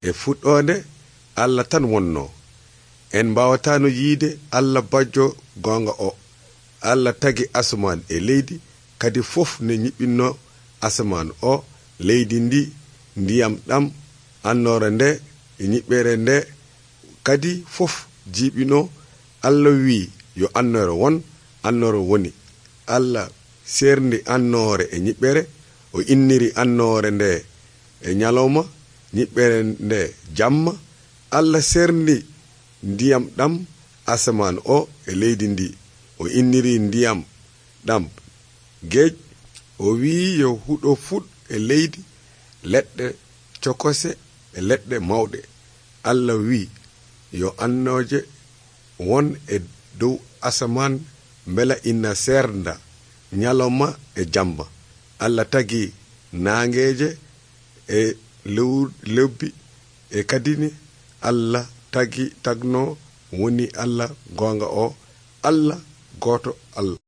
e fuɗɗode Allah tan wonno. En mbawatano yiide Allah bajjo gonga o. Allah tagi asaman e leydi, kadi fof ne nyiɓinno asaman o, leydi ndi, ndiyam ɗam, annore nde e nyiɓɓere nde, kadi fof jiɓino. Allah wi yo annore won, annore woni. Allah serndi annore e nyiɓɓere, o inniri annore nde e nyalawma, nyiɓɓere nde jamma. Allah serndi ndiyam ɗam asaman o e leydi ndi, o inniri ndiyam ɗam geej. O wi yo huɗo fuɗ e leydi, leɗɗe cokose e leɗɗe mawɗe. Allah wi yo annoje won e dow asaman, bela ina sernda nyalawma e jamma. Allah tagi nangeje e lebbi e kadini Allah tagno woni Allah gonga o, Allah goto Allah.